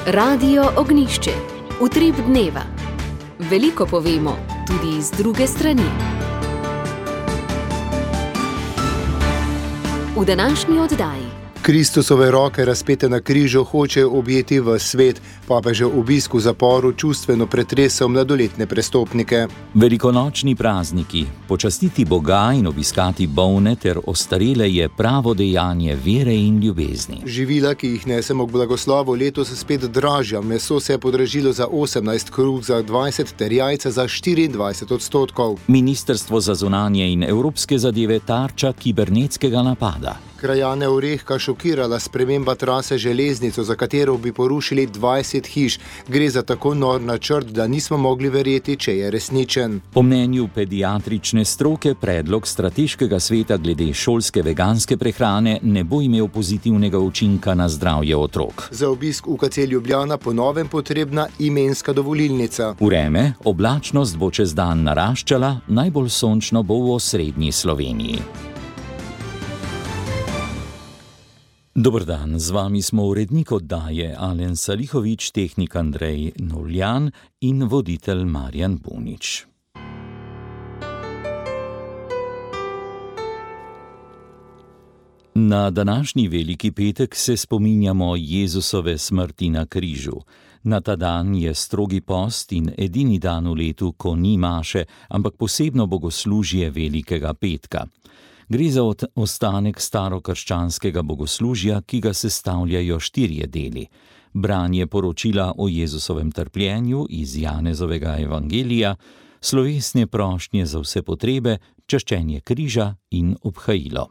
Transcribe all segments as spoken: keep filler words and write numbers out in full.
Radio Ognjišče. Utrip dneva. Veliko povemo, tudi iz druge strani. V današnji oddaji. Kristusove roke razpete na križu hoče objeti v svet, papežev obisk v zaporu čustveno pretresel mladoletne prestopnike. Velikonočni prazniki, počastiti Boga in obiskati bolne ter ostarele je pravo dejanje vere in ljubezni. Živila, ki jih nesemo k blagoslovu, letos spet dražja. Meso se je podražilo za osemnajst, kruh za dvajset ter jajca za štiriindvajset odstotkov. Ministrstvo za zunanje in evropske zadeve tarča kibernetskega napada. Krajane Orehka šokirala sprememba trase železnico, za katero bi porušili dvajset hiš. Gre za tako nor načrt, da nismo mogli verjeti, če je resničen. Po mnenju pediatrične stroke predlog strateškega sveta glede šolske veganske prehrane ne bo imel pozitivnega učinka na zdravje otrok. Za obisk U K C Ljubljana po novem potrebna imenska dovolilnica. Vreme, oblačnost bo čez dan naraščala, najbolj sončno bo v osrednji Sloveniji. Dober dan, z vami smo urednik oddaje Alen Salihovič, tehnik Andrej Novljan in voditelj Marjan Bunič. Na današnji veliki petek se spominjamo Jezusove smrti na križu. Na ta dan je strogi post in edini dan v letu, ko ni maše, ampak posebno bogoslužje velikega petka. Gre za ostanek starokrščanskega bogoslužja, ki ga sestavljajo štirje deli. Branje poročila o Jezusovem trpljenju iz Janezovega evangelija, slovesne prošnje za vse potrebe, čaščenje križa in obhajilo.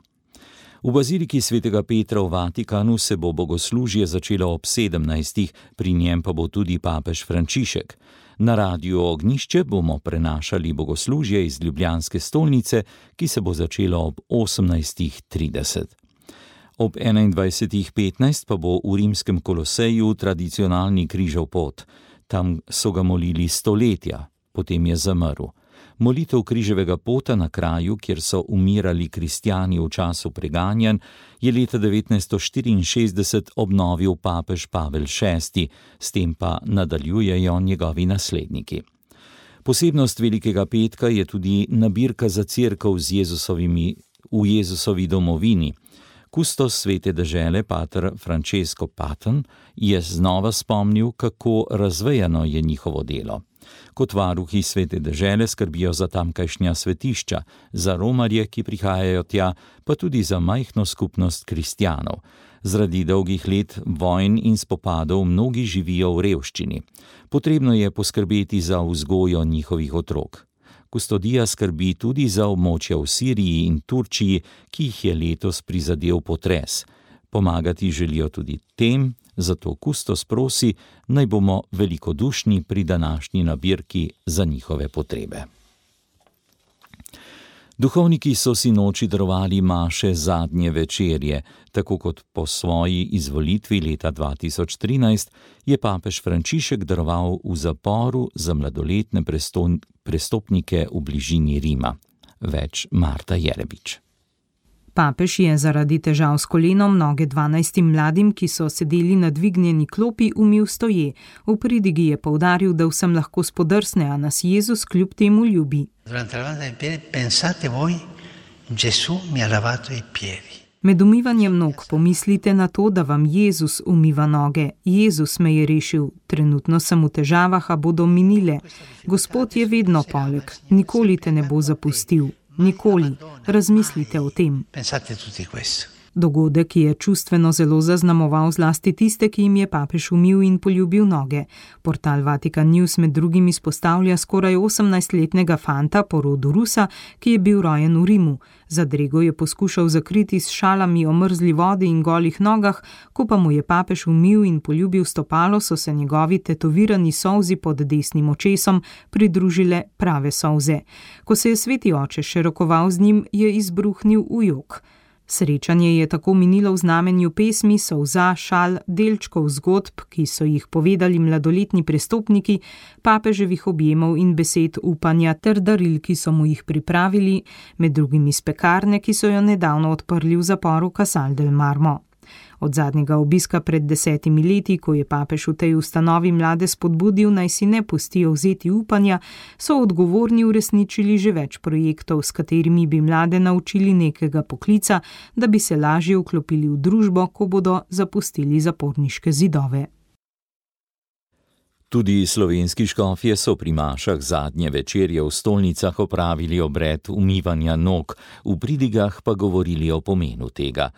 V baziliki svetega Petra v Vatikanu se bo bogoslužje začelo ob sedemnajstih, pri njem pa bo tudi papež Frančišek. Na Radiu Ognjišče bomo prenašali bogoslužje iz ljubljanske stolnice, ki se bo začelo ob osemnajstih trideset. Ob enaindvajsetih petnajst pa bo v rimskem Koloseju tradicionalni križev pot. Tam so ga molili stoletja, potem je zamrl. Molitev križevega pota na kraju, kjer so umirali kristjani v času preganjanj, je leta devetnajststo štiriinšestdeset obnovil papež Pavel šesti, s tem pa nadaljujejo njegovi nasledniki. Posebnost velikega petka je tudi nabirka za cerkev z Jezusovimi, v Jezusovi domovini. Kustos svete dežele, pater Francesco Paton, je znova spomnil, kako razvejano je njihovo delo. Kot varuhi svete dežele skrbijo za tamkajšnja svetišča, za romarje, ki prihajajo tja, pa tudi za majhno skupnost kristjanov. Zaradi dolgih let vojn in spopadov mnogi živijo v revščini. Potrebno je poskrbeti za vzgojo njihovih otrok. Kustodija skrbi tudi za območja v Siriji in Turčiji, ki jih je letos prizadel potres. Pomagati želijo tudi tem, zato kustos prosi, naj bomo velikodušni pri današnji nabirki za njihove potrebe. Duhovniki so si noči darovali maše zadnje večerje, tako kot po svoji izvolitvi leta dva tisoč trinajst je papež Frančišek daroval v zaporu za mladoletne prestopnike v bližini Rima. Več Marta Jerebič. Papež je zaradi težav s kolenom noge dvanajstim mladim, ki so sedeli na dvignjeni klopi, umil stoje. V pridigi je poudaril, da vsem lahko spodrsne, a nas Jezus kljub temu ljubi. Med umivanjem nog pomislite na to, da vam Jezus umiva noge. Jezus me je rešil. Trenutno sem v težavah, a bodo minile. Gospod je vedno poleg. Nikoli te ne bo zapustil. Nikoli. Razmislite o tem. Dogodek je čustveno zelo zaznamoval zlasti tiste, ki jim je papež umil in poljubil noge. Portal Vatican News med drugim izpostavlja skoraj osemnajstletnega fanta po rodu Rusa, ki je bil rojen v Rimu. Zadrego je poskušal zakriti s šalami o mrzli vodi in golih nogah, ko pa mu je papež umil in poljubil stopalo, so se njegovi tetovirani solzi pod desnim očesom pridružile prave solze. Ko se je sveti oče še rokoval z njim, je izbruhnil v jok. Srečanje je tako minilo v znamenju pesmi, solza, šal, delčkov zgodb, ki so jih povedali mladoletni prestopniki, papeževih objemov in besed upanja ter daril, ki so mu jih pripravili, med drugim iz pekarne, ki so jo nedavno odprli v zaporu Casal del Marmo. Od zadnjega obiska pred desetimi leti, ko je papež v tej ustanovi mlade spodbudil, naj si ne pustijo vzeti upanja, so odgovorni uresničili že več projektov, s katerimi bi mlade naučili nekega poklica, da bi se lažje vklopili v družbo, ko bodo zapustili zaporniške zidove. Tudi slovenski škofje so pri mašah zadnje večerje v stolnicah opravili obred umivanja nog, v pridigah pa govorili o pomenu tega.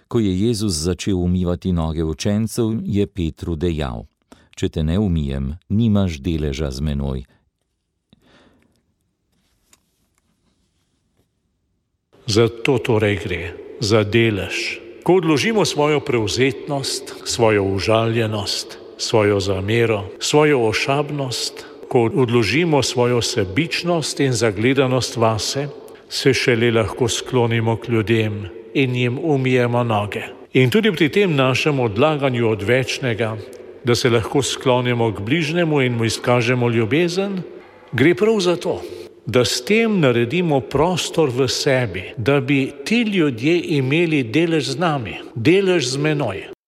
Ko je Jezus začel umivati noge učencev, je Petru dejal: Če te ne umijem, nimaš deleža z menoj. Za to torej gre, za delež. Ko odložimo svojo prevzetnost, svojo užaljenost, svojo zamero, svojo ošabnost, ko odložimo svojo sebičnost in zagledanost vase, se šele lahko sklonimo k ljudem in jim umijemo noge. In tudi pri tem našem odlaganju od večnega, da se lahko sklonimo k bližnjemu in mu izkažemo ljubezen, gre prav za to, da s tem naredimo prostor v sebi, da bi ti ljudje imeli delež z nami, delež z menoj.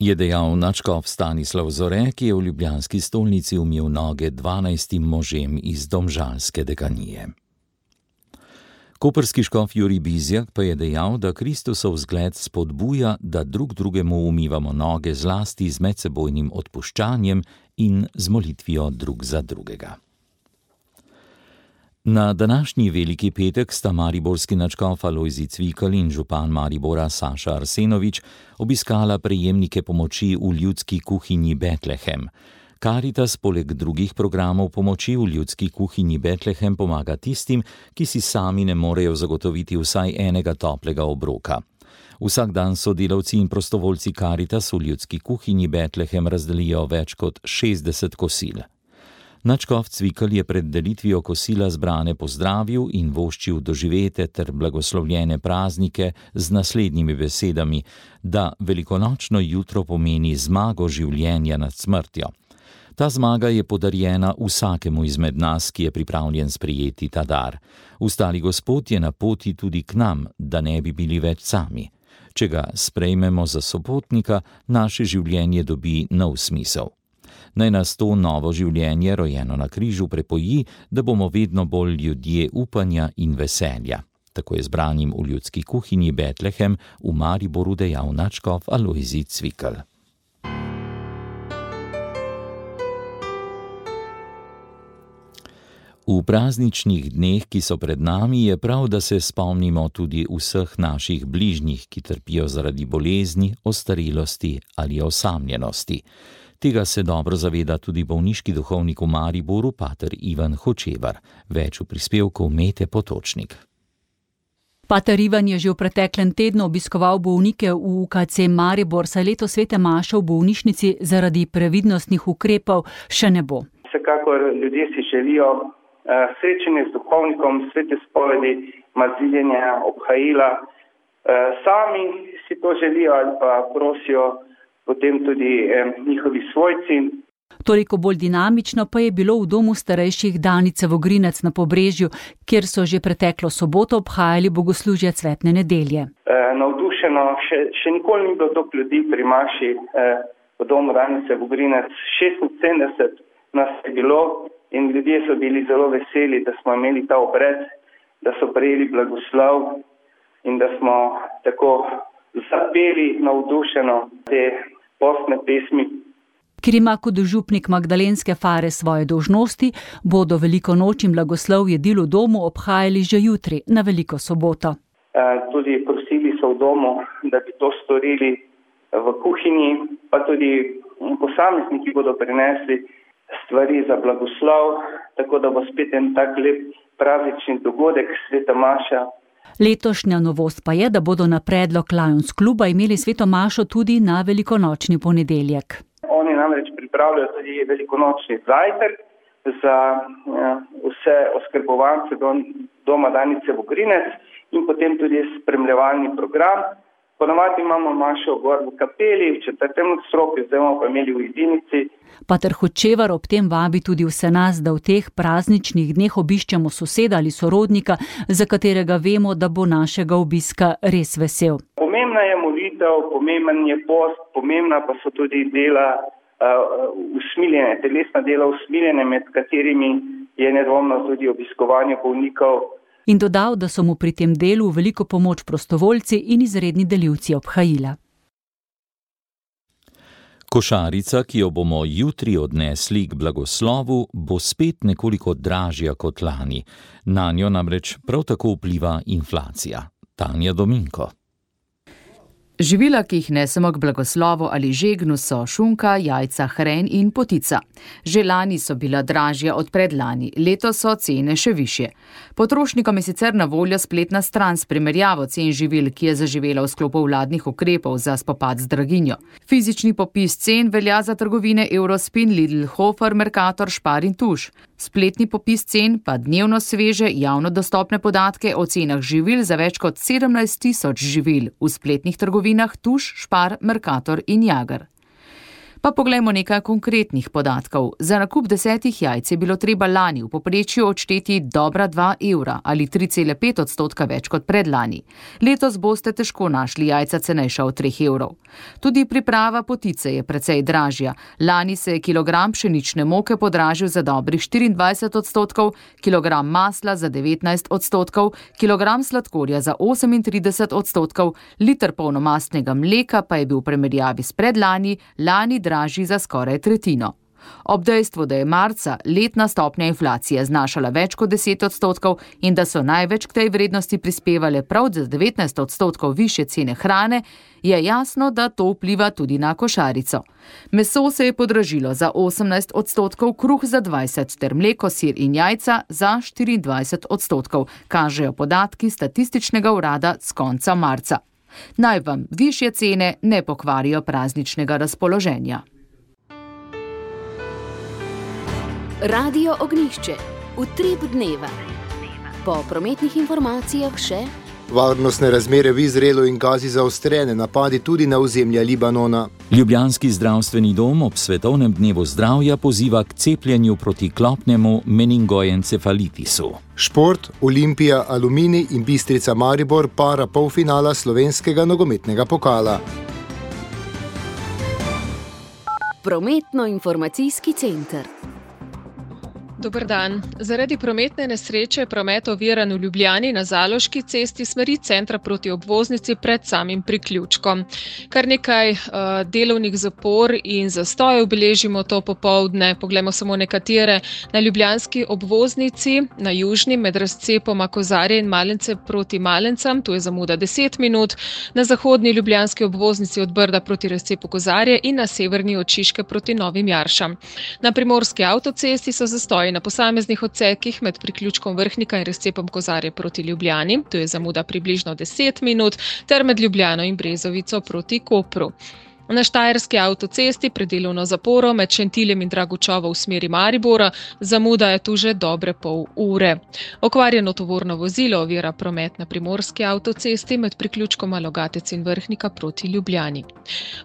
Je dejal nadškof Stanislav Zore, ki je v ljubljanski stolnici umil noge dvanajstim možem iz domžalske dekanije. Koprski škof Jurij Bizjak pa je dejal, da Kristusov zgled spodbuja, da drug drugemu umivamo noge zlasti z medsebojnim odpuščanjem in z molitvijo drug za drugega. Na današnji veliki petek sta mariborski nadškof Alojzij Cvikl in župan Maribora Saša Arsenovič obiskala prejemnike pomoči v ljudski kuhinji Betlehem. Karitas poleg drugih programov pomoči v ljudski kuhinji Betlehem pomaga tistim, ki si sami ne morejo zagotoviti vsaj enega toplega obroka. Vsak dan sodelavci in prostovoljci Karitas v ljudski kuhinji Betlehem razdelijo več kot šestdeset kosil. Nadškof Cvikl je pred delitvijo kosila zbrane pozdravil in voščil doživete ter blagoslovljene praznike z naslednjimi besedami, da velikonočno jutro pomeni zmago življenja nad smrtjo. Ta zmaga je podarjena vsakemu izmed nas, ki je pripravljen sprejeti ta dar. Ustali Gospod je na poti tudi k nam, da ne bi bili več sami. Če ga sprejmemo za sopotnika, naše življenje dobi nov smisel. Naj nas to novo življenje, rojeno na križu, prepoji, da bomo vedno bolj ljudje upanja in veselja. Tako je zbranim v ljudski kuhinji Betlehem v Mariboru dejal nadškof Alojzij Cvikl. V prazničnih dneh, ki so pred nami, je prav, da se spomnimo tudi vseh naših bližnjih, ki trpijo zaradi bolezni, ostarelosti ali osamljenosti. Tega se dobro zaveda tudi bolniški duhovnik v Mariboru, pater Ivan Hočevar. Več v prispevku Mete Potočnik. Pater Ivan je že v preteklem tednu obiskoval bolnike v U K C Maribor, saj leto svete maše v bolnišnici zaradi previdnostnih ukrepov še ne bo. Vsekakor ljudje si želijo uh, srečanje z duhovnikom, svete spovedi, maziljenja, obhajila. Uh, sami si to želijo ali pa prosijo potem tudi eh, njihovi svojci. Toliko bolj dinamično pa je bilo v domu starejših Danice Vogrinec na Pobrežju, kjer so že preteklo soboto obhajali bogoslužje cvetne nedelje. E, navdušeno, še, še nikoli ni bilo toliko ljudi pri maši eh, v domu Danice Vogrinec. šestinsedemdeset nas je bilo in ljudje so bili zelo veseli, da smo imeli ta obred, da so prejeli blagoslov in da smo tako zapeli navdušeno te postne pesmi. Ker ima kot župnik Magdalenske fare svoje dolžnosti, bodo veliko noč in blagoslov jedil v domu obhajali že jutri, na veliko soboto. E, tudi prosili so v domu, da bi to storili v kuhinji, pa tudi posamezniki bodo prinesli stvari za blagoslov, tako da bo spet en tak lep praznični dogodek, sveta maša. Letošnja novost pa je, da bodo na predlog Lions kluba imeli sveto mašo tudi na velikonočni ponedeljek. Oni namreč pripravljajo tudi velikonočni zajtrk za ja, vse oskrbovance dom, doma Danice Vogrinec in potem tudi spremljevalni program. Ponavadi imamo mašo gor v kapeli, v četrtem nadstropju, zdaj bomo pa imeli v jedinici. Pater Hočevar ob tem vabi tudi vse nas, da v teh prazničnih dneh obiščemo soseda ali sorodnika, za katerega vemo, da bo našega obiska res vesel. Pomembno pomembna je molitev, pomemben je post, pomembna pa so tudi dela uh, usmiljene, telesna dela usmiljene, med katerimi je nedvomno tudi obiskovanje bolnikov. In dodal, da so mu pri tem delu veliko pomoč prostovoljci in izredni delivci obhajila. Košarica, ki jo bomo jutri odnesli k blagoslovu, bo spet nekoliko dražja kot lani. Nanjo namreč prav tako vpliva inflacija. Tanja Dominko. Živila, ki jih nesemo k blagoslovu ali žegnu, so šunka, jajca, hren in potica. Že lani so bila dražja od predlani, letos so cene še višje. Potrošnikom je sicer na voljo spletna stran s primerjavo cen živil, ki je zaživela v sklopu vladnih ukrepov za spopad z draginjo. Fizični popis cen velja za trgovine Eurospin, Lidl, Hofer, Mercator, Spar in Tuš. Spletni popis cen pa dnevno sveže, javno dostopne podatke o cenah živil za več kot sedemnajst tisoč živil v spletnih trgovinah Tuš, Spar, Mercator in Jager. Pa poglejmo nekaj konkretnih podatkov. Za nakup desetih jajc je bilo treba lani v povprečju odšteti dobra dva evra ali tri cele pet odstotka več kot predlani. Letos boste težko našli jajca cenejša od treh evrov. Tudi priprava potice je precej dražja. Lani se je kilogram pšenične moke podražil za dobrih štiriindvajset odstotkov, kilogram masla za devetnajst odstotkov, kilogram sladkorja za osemintrideset odstotkov, liter polnomastnega mleka pa je bil v primerjavi s predlani, lani dražji za skoraj tretjino. Ob dejstvu, da je marca letna stopnja inflacije znašala več kot deset odstotkov in da so največ k tej vrednosti prispevale prav za devetnajst odstotkov višje cene hrane, je jasno, da to vpliva tudi na košarico. Meso se je podražilo za osemnajst odstotkov, kruh za dvajset ter mleko, sir in jajca za štiriindvajset odstotkov, kažejo podatki statističnega urada s konca marca. Naj vam višje cene ne pokvarijo prazničnega razpoloženja. Radio Ognjišče. Utrip dneva. Po prometnih informacijah še varnostne razmere v Izraelu in Gazi zaostrene, napadi tudi na ozemlje Libanona. Ljubljanski zdravstveni dom ob svetovnem dnevu zdravja poziva k cepljenju proti klopnemu meningoencefalitisu. Šport, Olimpija, Aluminij in Bistrica Maribor para polfinala slovenskega nogometnega pokala. Prometno-informacijski center. Dober dan. Zaradi prometne nesreče je promet oviran v Ljubljani na Zaloški cesti smeri centra proti obvoznici pred samim priključkom. Kar nekaj uh, delovnih zapor in zastojev beležimo to popoldne. Poglejmo samo nekatere. Na ljubljanski obvoznici, na južni med razcepoma Kozarje in Malence proti Malencam, tu je zamuda deset minut, na zahodni ljubljanski obvoznici od Brda proti razcepu Kozarje in na severni od Šiške proti Novim Jaršam. Na primorski avtocesti so zastoji na posameznih odsekih med priključkom Vrhnika in razcepom Kozarje proti Ljubljani, tu je zamuda približno deset minut, ter med Ljubljano in Brezovico proti Kopru. Na Štajerski avtocesti pred delovno zaporo med Šentiljem in Dragučovo v smeri Maribora zamuda je tu že dobre pol ure. Okvarjeno tovorno vozilo ovira promet na primorski avtocesti med priključkoma Logatec in Vrhnika proti Ljubljani.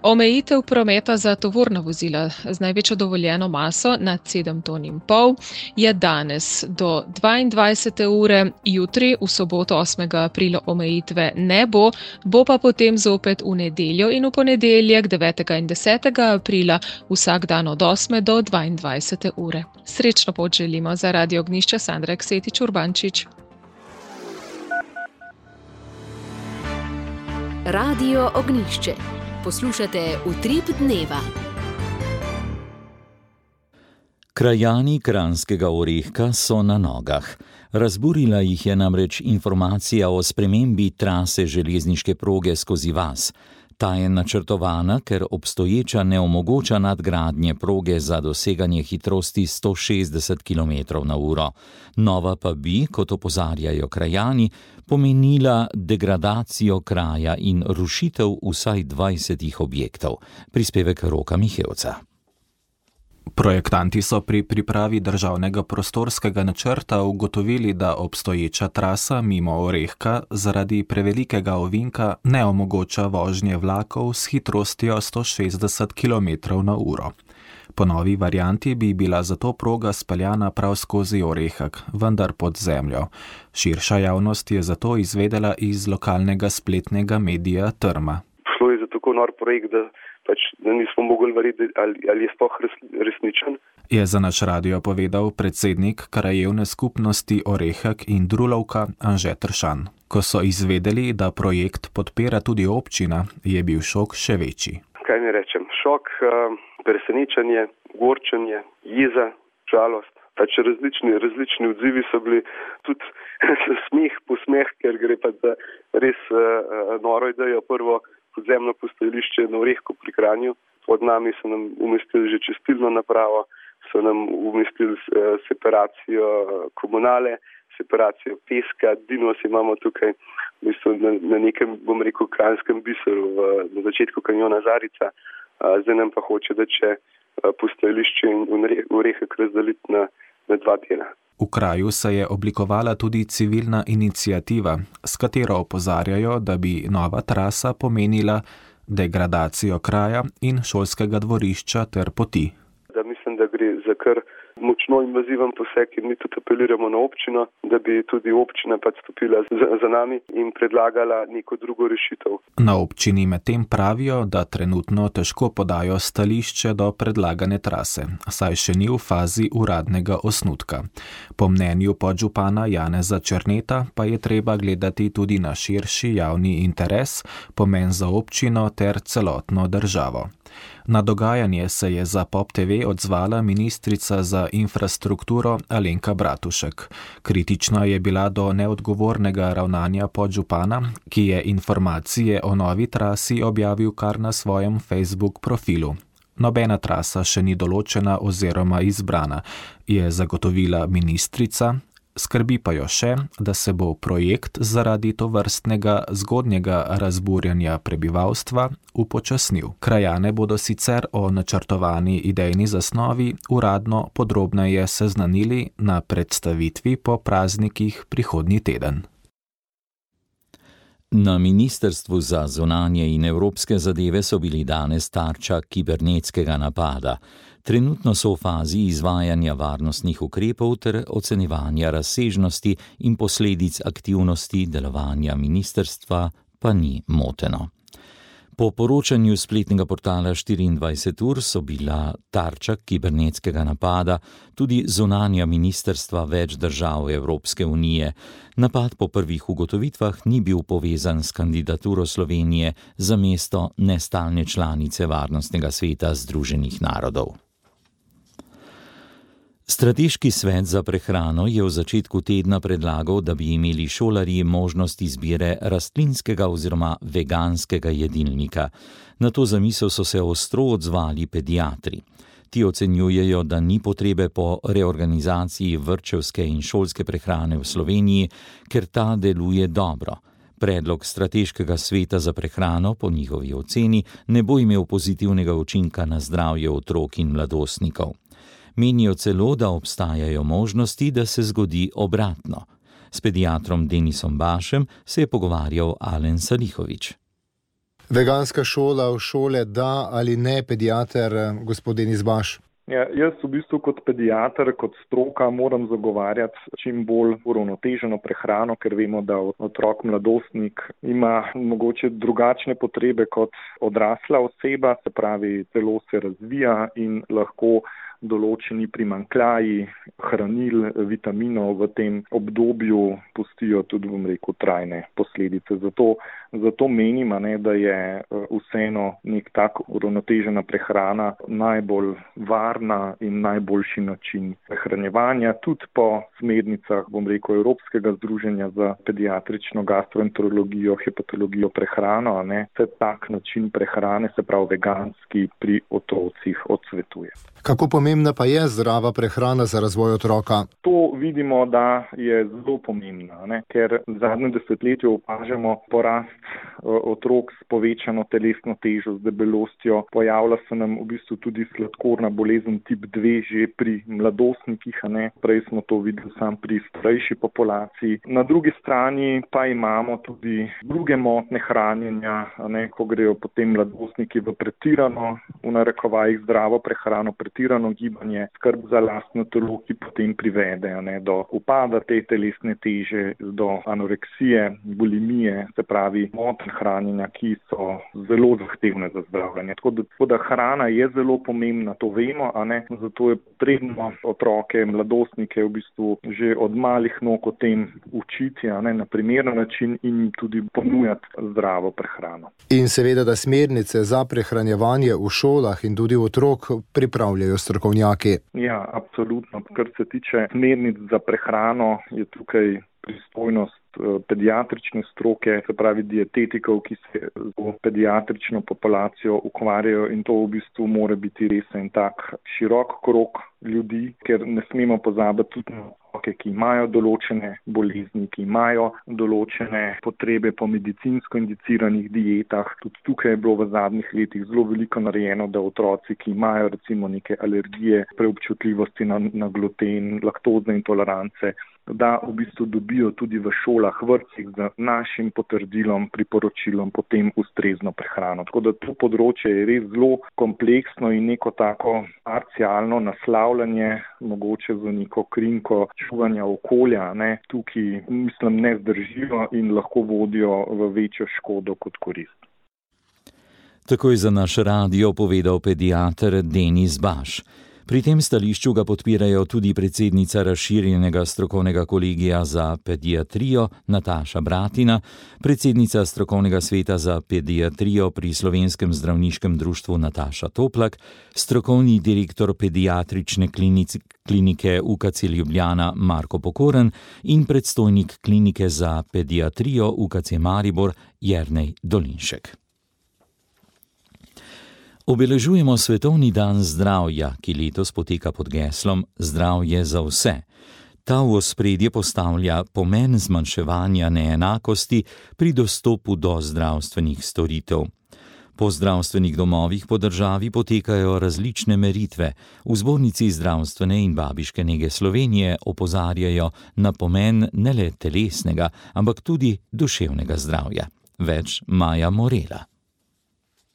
Omejitev prometa za tovorna vozila z največjo dovoljeno maso nad sedem ton in pol je danes do dvaindvajsete ure, jutri v soboto osmega aprila omejitve ne bo, bo pa potem zopet v nedeljo in v ponedeljek devetega in desetega aprila vsak dan od osme do dvaindvajsete ure. Srečno pot želimo za Radio Ognjišče, Sandra Eksetič Urbančič. Radio Ognjišče. Poslušate Utrip dneva. Krajani Kranjskega Orehka so na nogah. Razburila jih je namreč informacija o spremembi trase železniške proge skozi vas. Ta je načrtovana, ker obstoječa ne omogoča nadgradnje proge za doseganje hitrosti sto šestdeset kilometrov na uro. Nova pa bi, kot opozarjajo krajani, pomenila degradacijo kraja in rušitev vsaj dvajsetih objektov. Prispevek Roka Mihevca. Projektanti so pri pripravi državnega prostorskega načrta ugotovili, da obstoječa trasa mimo Orehka zaradi prevelikega ovinka ne omogoča vožnje vlakov s hitrostjo sto šestdeset kilometrov na uro. Po novi varianti bi bila zato proga speljana prav skozi Orehek, vendar pod zemljo. Širša javnost je zato izvedela iz lokalnega spletnega medija Trma. Šlo je za tako nor projekt, da, pač, da nismo mogli verjeti, ali, ali je sploh resničen. Je za naš radio povedal predsednik krajevne skupnosti Orehek in Drulovka Anže Tršan. Ko so izvedeli, da projekt podpira tudi občina, je bil šok še večji. Kaj ne rečem? Šok, presenečenje, gorčenje, jeza, žalost. Pač različni, različni odzivi so bili, tudi smeh, posmeh, ker gre pa za res uh, noro idejo. Prvo podzemno postajališče na Orehku pri Kranju. Pod nami so nam umestili že čistilno napravo, so nam umestili uh, separacijo komunale, separacijo peska, dinos imamo tukaj v bistvu na, na nekem, bom rekel, kranjskem biseru v, na začetku kanjona Zarica. Uh, zdaj nam pa hoče, da če uh, postajališče in Orehek razdeliti na, na dva dela. V kraju se je oblikovala tudi civilna iniciativa, s katero opozarjajo, da bi nova trasa pomenila degradacijo kraja in šolskega dvorišča ter poti. Da mislim, da gre za kar močno invaziven poseg in mi tudi apeliramo na občino, da bi tudi občina pač stopila za, za nami in predlagala neko drugo rešitev. Na občini medtem pravijo, da trenutno težko podajo stališče do predlagane trase, saj še ni v fazi uradnega osnutka. Po mnenju podžupana Janeza Černeta pa je treba gledati tudi na širši javni interes, pomen za občino ter celotno državo. Na dogajanje se je za Pop T V odzvala ministrica za infrastrukturo Alenka Bratušek. Kritična je bila do neodgovornega ravnanja podžupana, ki je informacije o novi trasi objavil kar na svojem Facebook profilu. Nobena trasa še ni določena oziroma izbrana, je zagotovila ministrica. Skrbi pa jo še, da se bo projekt zaradi tovrstnega zgodnjega razburjanja prebivalstva upočasnil. Krajane bodo sicer o načrtovani idejni zasnovi uradno podrobneje seznanili na predstavitvi po praznikih prihodnji teden. Na Ministrstvu za zunanje in evropske zadeve so bili danes tarča kibernetskega napada. Trenutno so v fazi izvajanja varnostnih ukrepov ter ocenjevanja razsežnosti in posledic aktivnosti delovanja ministrstva pa ni moteno. Po poročanju spletnega portala štiriindvajset ur so bila tarča kibernetskega napada tudi zunanja ministrstva več držav Evropske unije. Napad po prvih ugotovitvah ni bil povezan s kandidaturo Slovenije za mesto nestalne članice Varnostnega sveta Združenih narodov. Strateški svet za prehrano je v začetku tedna predlagal, da bi imeli šolarji možnost izbire rastlinskega oziroma veganskega jedilnika. Na to zamisel so se ostro odzvali pediatri. Ti ocenjujejo, da ni potrebe po reorganizaciji vrtčevske in šolske prehrane v Sloveniji, ker ta deluje dobro. Predlog strateškega sveta za prehrano po njihovi oceni ne bo imel pozitivnega učinka na zdravje otrok in mladostnikov. Menijo celo, da obstajajo možnosti, da se zgodi obratno. S pediatrom Denisom Bašem se je pogovarjal Alen Salihovič. Veganska šola v šole da ali ne, pediater gospod Denis Baš? Ja, jaz v bistvu kot pediater, kot stroka moram zagovarjati čim bolj uravnoteženo prehrano, ker vemo, da otrok, mladostnik ima mogoče drugačne potrebe kot odrasla oseba, se pravi, telo se razvija in lahko določeni primanjkljaji hranil, vitaminov v tem obdobju pustijo tudi, bom rekel, trajne posledice. Zato, zato menim, ne, da je vseeno nek tak uravnotežena prehrana najbolj varna in najboljši način prehranjevanja, tudi po smernicah, bom rekel, Evropskega združenja za pediatrično gastroenterologijo, hepatologijo, prehrano, ne, se tak način prehrane, se pravi veganski, pri otrocih odsvetuje. Kako pomembno pomembna pa je zdrava prehrana za razvoj otroka? To vidimo, da je zelo pomembna, ne? Ker v zadnjem desetletju opažamo porast otrok s povečano telesno težo, z debelostjo. Pojavlja se nam v bistvu tudi sladkorna bolezen tip dve že pri mladostnikih, a ne? Prej smo to videli sam pri starejši populaciji. Na drugi strani pa imamo tudi druge motnje hranjenja, a ne? Ko grejo potem mladostniki v pretirano, v narekovajih zdravo prehrano, pretirano gibanje, skrb za lastno telo, ki potem privede, a ne? Do upada te telesne teže, do anoreksije, bulimije, se pravi motnje hranjenja, ki so zelo zahtevne za zdravljenje. Tako da, tako da hrana je zelo pomembna, to vemo, a ne? Zato je potrebno otroke, mladostnike v bistvu že od malih nog o tem učiti, a ne? Na primeren način in tudi ponujati zdravo prehrano. In seveda, da smernice za prehranjevanje v šolah in tudi otrok pripravljajo strokovnjaki. Ja, absolutno. Kar se tiče smernic za prehrano, je tukaj pristojnost pediatrične stroke, se pravi dietetikov, ki se z pediatrično populacijo ukvarjajo, in to v bistvu mora biti res en tak širok krog ljudi, ker ne smemo pozabiti tudi na otroke, ki imajo določene bolezni, ki imajo določene potrebe po medicinsko indiciranih dietah. Tudi tukaj je bilo v zadnjih letih zelo veliko narejeno, da otroci, ki imajo recimo neke alergije, preobčutljivosti na, na gluten, laktozne intolerance, da v bistvu dobijo tudi v šolah, vrtcih z našim potrdilom, priporočilom potem ustrezno prehrano. Tako da to področje je res zelo kompleksno in neko tako parcialno naslavljanje, mogoče za neko krinko čuvanja okolja, ne, tukaj mislim ne zdržijo in lahko vodijo v večjo škodo kot korist. Tako je za naš radio povedal pediater Denis Baš. Pri tem stališču ga podpirajo tudi predsednica razširjenega strokovnega kolegija za pediatrijo Nataša Bratina, predsednica strokovnega sveta za pediatrijo pri Slovenskem zdravniškem društvu Nataša Toplak, strokovni direktor pediatrične klinike U K C Ljubljana Marko Pokoren in predstojnik klinike za pediatrijo U K C Maribor Jernej Dolinšek. Obeležujemo Svetovni dan zdravja, ki letos poteka pod geslom Zdravje za vse. Ta v ospredje postavlja pomen zmanjševanja neenakosti pri dostopu do zdravstvenih storitev. Po zdravstvenih domovih po državi potekajo različne meritve. V Zbornici zdravstvene in babiške nege Slovenije opozarjajo na pomen ne le telesnega, ampak tudi duševnega zdravja. Več Maja Morela.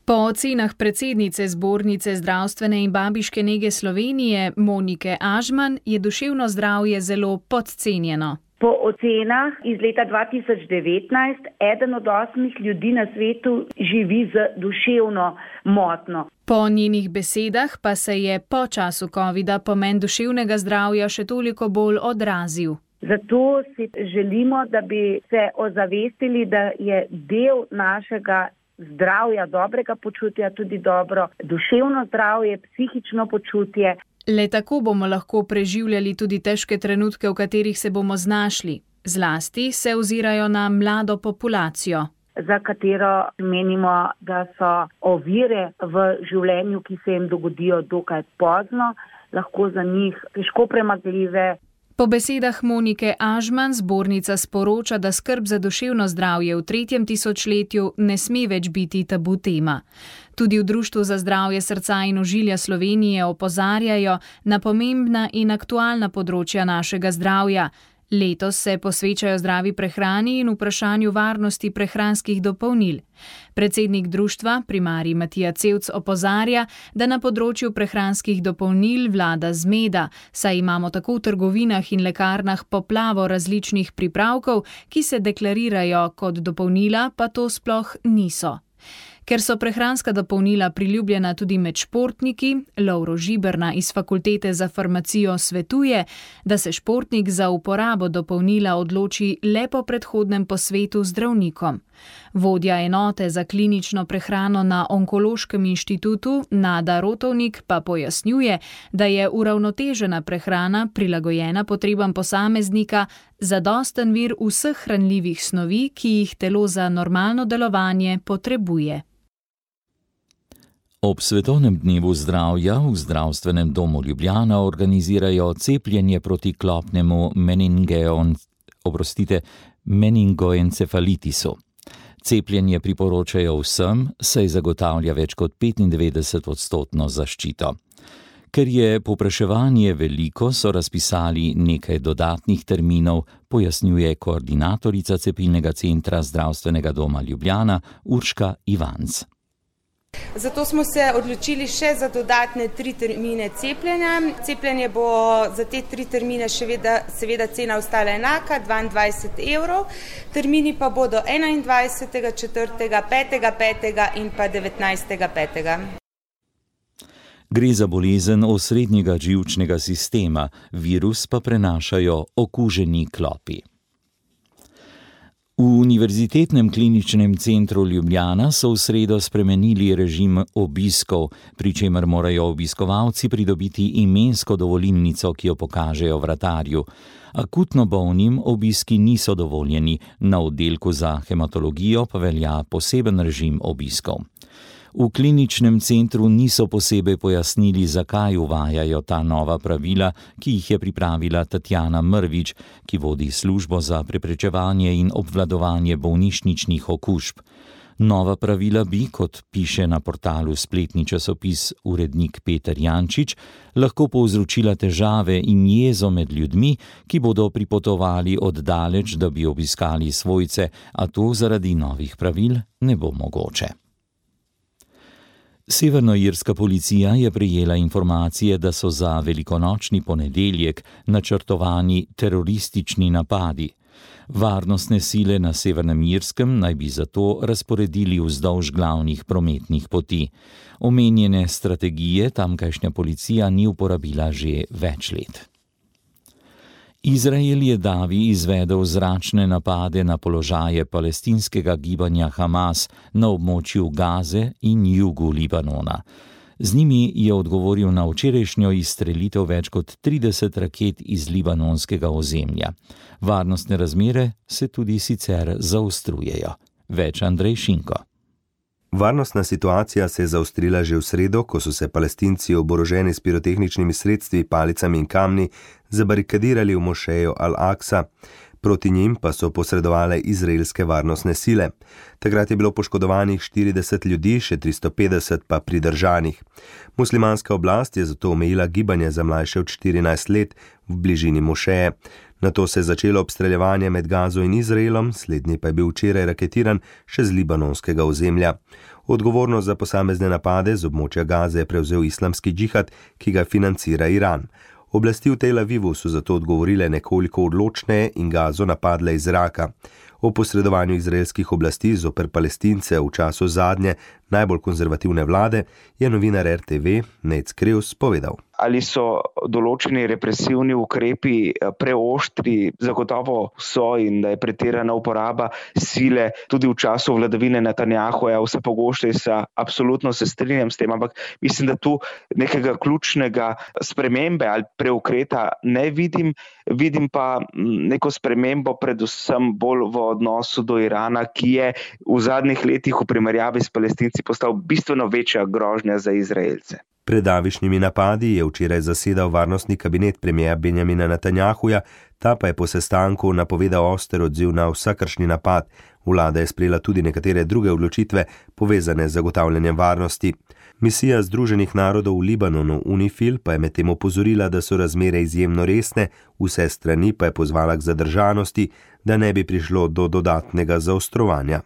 Po ocenah predsednice Zbornice zdravstvene in babiške nege Slovenije Monike Ažman je duševno zdravje zelo podcenjeno. Po ocenah iz leta dva tisoč devetnajst eden od osmih ljudi na svetu živi z duševno motnjo. Po njenih besedah pa se je po času covida pomen duševnega zdravja še toliko bolj odrazil. Zato si želimo, da bi se ozavestili, da je del našega zdravja, dobrega počutja, tudi dobro duševno zdravje, psihično počutje. Le tako bomo lahko preživljali tudi težke trenutke, v katerih se bomo znašli. Zlasti se ozirajo na mlado populacijo, za katero menimo, da so ovire v življenju, ki se jim dogodijo dokaj pozno, lahko za njih težko premagljive. Po besedah Monike Ažman zbornica sporoča, da skrb za duševno zdravje v tretjem tisočletju ne sme več biti tabu tema. Tudi v Društvu za zdravje srca in ožilja Slovenije opozarjajo na pomembna in aktualna področja našega zdravja. Letos se posvečajo zdravi prehrani in vprašanju varnosti prehranskih dopolnil. Predsednik društva, primarij Matija Cevc, opozarja, da na področju prehranskih dopolnil vlada zmeda, saj imamo tako v trgovinah in lekarnah poplavo različnih pripravkov, ki se deklarirajo kot dopolnila, pa to sploh niso. Ker so prehranska dopolnila priljubljena tudi med športniki, Lovro Žiberna iz Fakultete za farmacijo svetuje, da se športnik za uporabo dopolnila odloči le po predhodnem posvetu z zdravnikom. Vodja enote za klinično prehrano na Onkološkem inštitutu Nada Rotovnik pa pojasnjuje, da je uravnotežena prehrana prilagojena potrebam posameznika, zadosten vir vseh hranljivih snovi, ki jih telo za normalno delovanje potrebuje. Ob svetovnem dnevu zdravja v Zdravstvenem domu Ljubljana organizirajo cepljenje proti klopnemu meningeon, oprostite, meningoencefalitisu. Cepljenje priporočajo vsem, saj zagotavlja več kot petindevetdeset odstotno zaščito. Ker je povpraševanje veliko, so razpisali nekaj dodatnih terminov, pojasnjuje koordinatorica cepilnega centra Zdravstvenega doma Ljubljana Urška Ivanc. Zato smo se odločili še za dodatne tri termine cepljenja. Cepljenje bo za te tri termine še veda, seveda cena ostala enaka, dvaindvajset evrov. Termini pa bodo enaindvajsetega četrtega, petega petega in pa devetnajstega petega. Gre za bolezen osrednjega živčnega sistema, virus pa prenašajo okuženi klopi. V Univerzitetnem kliničnem centru Ljubljana so v sredo spremenili režim obiskov, pri čemer morajo obiskovalci pridobiti imensko dovolilnico, ki jo pokažejo vratarju. Akutno bolnim obiski niso dovoljeni, na oddelku za hematologijo pa velja poseben režim obiskov. V kliničnem centru niso posebej pojasnili, zakaj uvajajo ta nova pravila, ki jih je pripravila Tatjana Mrvič, ki vodi službo za preprečevanje in obvladovanje bolnišničnih okužb. Nova pravila bi, kot piše na portalu spletni časopis urednik Peter Jančič, lahko povzročila težave in jezo med ljudmi, ki bodo pripotovali od daleč, da bi obiskali svojce, a to zaradi novih pravil ne bo mogoče. Severnoirska policija je prejela informacije, da so za velikonočni ponedeljek načrtovani teroristični napadi. Varnostne sile na Severnem Irskem naj bi zato razporedili vzdolž glavnih prometnih poti. Omenjene strategije tamkajšnja policija ni uporabila že več let. Izrael je davi izvedel zračne napade na položaje palestinskega gibanja Hamas na območju Gaze in jugu Libanona. Z njimi je odgovoril na včerajšnjo izstrelitev več kot trideset raket iz libanonskega ozemlja. Varnostne razmere se tudi sicer zaostrujejo. Več Andrej Šinko. Varnostna situacija se je zaostrila že v sredo, ko so se Palestinci oboroženi s pirotehničnimi sredstvi, palicami in kamni zabarikadirali v mošejo Al-Aqsa. Proti njim pa so posredovale izraelske varnostne sile. Takrat je bilo poškodovanih štirideset ljudi, še tristo petdeset pa pridržanih. Muslimanska oblast je zato omejila gibanje za mlajše od štirinajst let v bližini mošeje. Nato se je začelo obstreljevanje med Gazo in Izraelom, slednji pa je bil včeraj raketiran še z libanonskega ozemlja. Odgovornost za posamezne napade z območja Gaze je prevzel islamski džihad, ki ga financira Iran. Oblasti v Tel Avivu so zato odgovorile nekoliko odločneje in Gazo napadle iz zraka. O posredovanju izraelskih oblasti zoper Palestince v času zadnje, najbolj konzervativne vlade, je novinar R T V Nec Krevs povedal. Ali so določeni represivni ukrepi preoštri, zagotovo so, in da je pretirana uporaba sile tudi v času vladavine Netanjahuja, vse pogosteje, absolutno se strinjam s tem, ampak mislim, da tu nekega ključnega spremembe ali preukreta ne vidim, vidim pa neko spremembo predvsem bolj v odnosu do Irana, ki je v zadnjih letih v primerjavi s Palestinci postal bistveno večja grožnja za Izraelce. Pred davišnjimi napadi je včeraj zasedal varnostni kabinet premierja Benjamina Netanjahuja, ta pa je po sestanku napovedal oster odziv na vsakršni napad. Vlada je sprejela tudi nekatere druge odločitve povezane z zagotavljanjem varnosti. Misija Združenih narodov v Libanonu UNIFIL pa je medtem opozorila, da so razmere izjemno resne, vse strani pa je pozvala k zadržanosti, da ne bi prišlo do dodatnega zaostrovanja.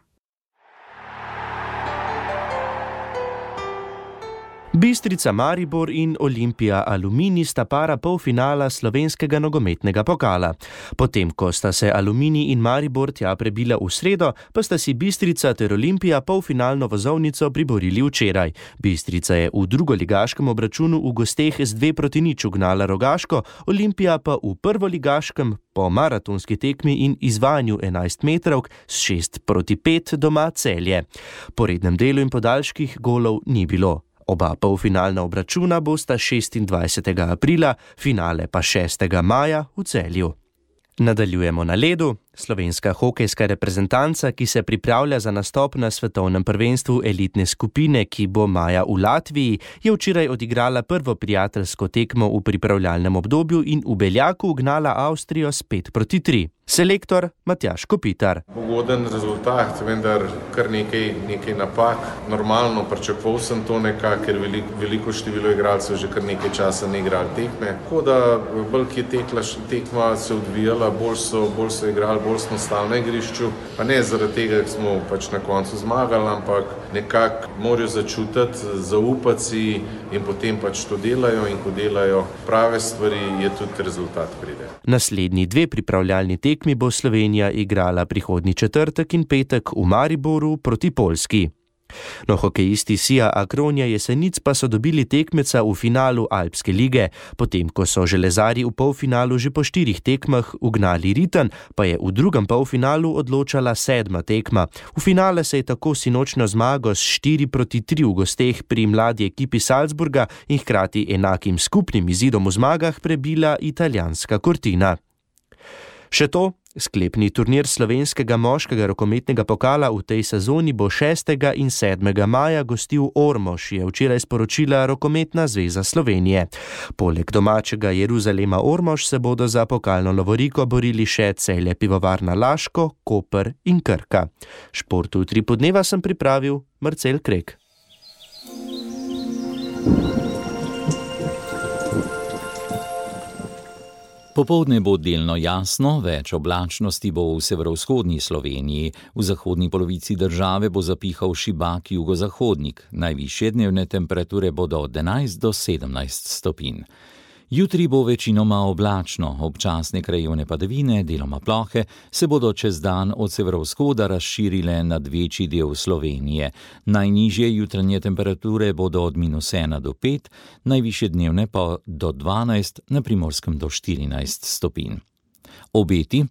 Bistrica Maribor in Olimpija Aluminij sta para polfinala slovenskega nogometnega pokala. Potem, ko sta se Aluminij in Maribor tja prebila v sredo, pa sta si Bistrica ter Olimpija polfinalno vozovnico priborili včeraj. Bistrica je v drugoligaškem obračunu v gosteh z dve proti nič ugnala Rogaško, Olimpija pa v prvoligaškem po maratonski tekmi in izvajanju enajst metrovk s šest proti pet doma Celje. Po rednem delu in podaljških golov ni bilo. Oba polfinalna obračuna bosta šestindvajsetega aprila, finale pa šestega maja v Celju. Nadaljujemo na ledu. Slovenska hokejska reprezentanca, ki se pripravlja za nastop na svetovnem prvenstvu elitne skupine, ki bo maja v Latviji, je včeraj odigrala prvo prijateljsko tekmo v pripravljalnem obdobju in v Beljaku ugnala Avstrijo s pet proti tri. Selektor Matjaž Kopitar. Ugoden rezultat, vendar kar nekaj, nekaj napak. Normalno pričakoval sem to nekako, ker veliko, veliko število igralcev že kar nekaj časa ne igrali tekme. Tako da bolj ki je tekla, tekma se odvijala, bolj so, bolj so igrali, bolj smo stali na igrišču. Pa ne zaradi tega, ker smo pač na koncu zmagali, ampak nekako morajo začutiti, zaupati si in potem pač to delajo in ko delajo prave stvari, je tudi rezultat pride. Naslednji dve pripravljalni tekmi bo Slovenija igrala prihodnji četrtek in petek v Mariboru proti Poljski. No, hokejisti Sija Akronja Jesenic pa so dobili tekmeca v finalu Alpske lige. Potem, ko so železarji v polfinalu že po štirih tekmah ugnali Ritem, pa je v drugem polfinalu odločala sedma tekma. V finale se je tako sinočno zmago s štiri proti tri v gosteh pri mladi ekipi Salzburga in hkrati enakim skupnim izidom v zmagah prebila italijanska Cortina. Še to, sklepni turnir slovenskega moškega rokometnega pokala v tej sezoni bo šestega in sedmega maja gostil Ormož, je včeraj sporočila Rokometna zveza Slovenije. Poleg domačega Jeruzalema Ormož se bodo za pokalno lovoriko borili še Celje Pivovarna Laško, Koper in Krka. Športu tri podneva sem pripravil Marcel Krek. Popoldne bo delno jasno, več oblačnosti bo v severovzhodni Sloveniji, v zahodni polovici države bo zapihal šibak jugozahodnik, najvišje dnevne temperature bodo od enajst do sedemnajst stopinj. Jutri bo večinoma oblačno, občasne krajevne padavine, deloma plohe, se bodo čez dan od severovzhoda razširile nad večji del Slovenije. Najnižje jutranje temperature bodo od minus ena do pet, najvišje dnevne pa do dvanajst, na Primorskem do štirinajst stopinj. Obeti.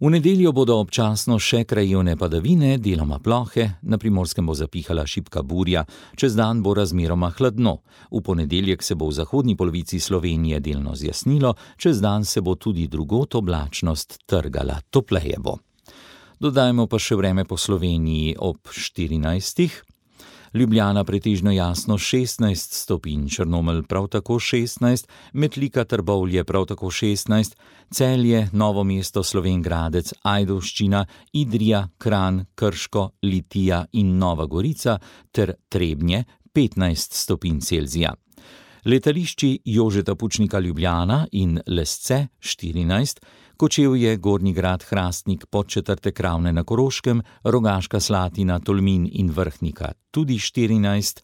V nedeljo bodo občasno še krajevne padavine, deloma plohe, na Primorskem bo zapihala šibka burja, čez dan bo razmeroma hladno. V ponedeljek se bo v zahodni polovici Slovenije delno zjasnilo, čez dan se bo tudi drugod oblačnost trgala, topleje bo. Dodajmo pa še vreme po Sloveniji ob štirinajstih. Ljubljana pretežno jasno šestnajst stopinj, Črnomelj prav tako šestnajst, Metlika Trbovlje prav tako šestnajst, Celje, Novo mesto, Slovenj Gradec, Ajdovščina, Idrija, Kranj, Krško, Litija in Nova Gorica ter Trebnje petnajst stopinj Celzija. Letališči Jožeta Pučnika Ljubljana in Lesce štirinajst, Kočevje, Gornji Grad, Hrastnik, Podčetrtek, Ravne na Koroškem, Rogaška Slatina, Tolmin in Vrhnika tudi štirinajst,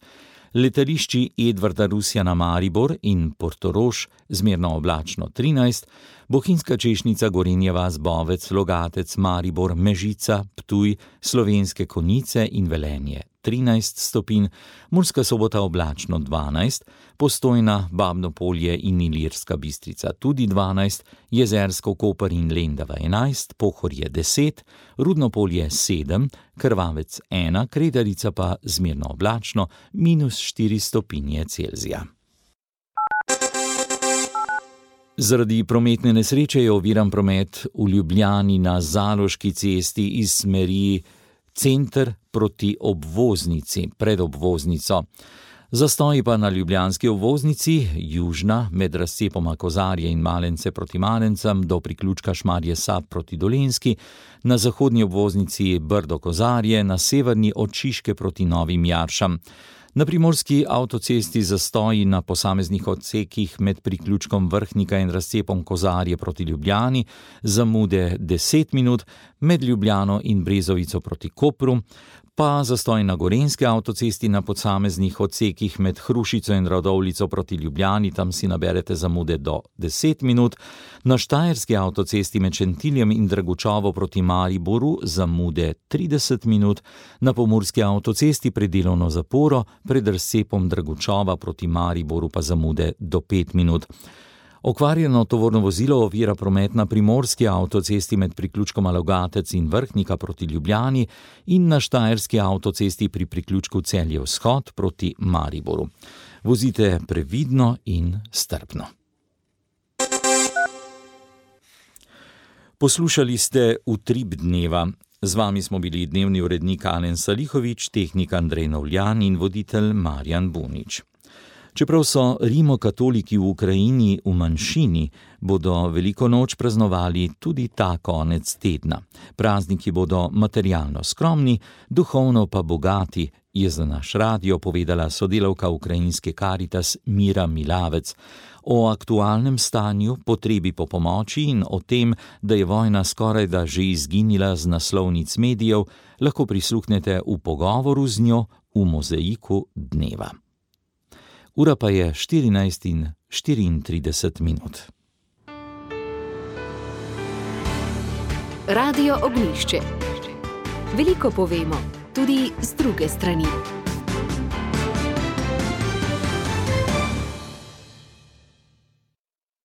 letališči Edvarda Rusjana Maribor in Portorož zmerno oblačno trinajst, Bohinjska Češnica, Gorenja vas, Bovec, Logatec, Maribor, Mežica, Ptuj, Slovenske Konjice in Velenje trinajst stopinj, Murska Sobota oblačno dvanajst, Postojna, Babno Polje in Ilirska Bistrica tudi dvanajst, Jezersko, Koper in Lendava enajst, Pohorje deset, Rudno Polje sedem, Krvavec ena, Kredarica pa zmerno oblačno minus štiri stopinje Celzija. Zaradi prometne nesreče je oviran promet v Ljubljani na Zaloški cesti iz smeri center proti obvoznici, pred obvoznico. Zastoji pa na ljubljanski obvoznici, južna, med razcepoma Kozarje in Malence proti Malencem do priključka Šmarje Sab proti Dolenjski, na zahodni obvoznici Brdo Kozarje, na severni od Šiške proti Novim Jaršam. Na primorski avtocesti zastoji na posameznih odsekih med priključkom Vrhnika in razcepom Kozarje proti Ljubljani, zamude deset minut, med Ljubljano in Brezovico proti Kopru, pa zastoj na gorenjski avtocesti na posameznih odsekih med Hrušico in Radovljico proti Ljubljani, tam si naberete zamude do deset minut, na štajerski avtocesti med Šentiljem in Dragučovo proti Mariboru zamude trideset minut, na pomurski avtocesti pred delovno zaporo pred razcepom Dragučova proti Mariboru pa zamude do pet minut. Okvarjeno tovorno vozilo ovira promet na primorski avtocesti med priključkom Logatec in Vrhnika proti Ljubljani in na štajerski avtocesti pri priključku Celje Vzhod proti Mariboru. Vozite previdno in strpno. Poslušali ste Utrip dneva. Z vami smo bili dnevni urednik Alen Salihovič, tehnik Andrej Novljan in voditelj Marjan Bunič. Čeprav so rimokatoliki v Ukrajini v manjšini, bodo veliko noč praznovali tudi ta konec tedna. Prazniki bodo materialno skromni, duhovno pa bogati, je za naš radio povedala sodelavka ukrajinske Karitas Mira Milavec. O aktualnem stanju, potrebi po pomoči in o tem, da je vojna skorajda že izginila z naslovnic medijev, lahko prisluhnete v pogovoru z njo v Mozaiku dneva. Ura pa je štirinajst in štiriintrideset minut. Radio Ognjišče. Veliko povemo, tudi z druge strani.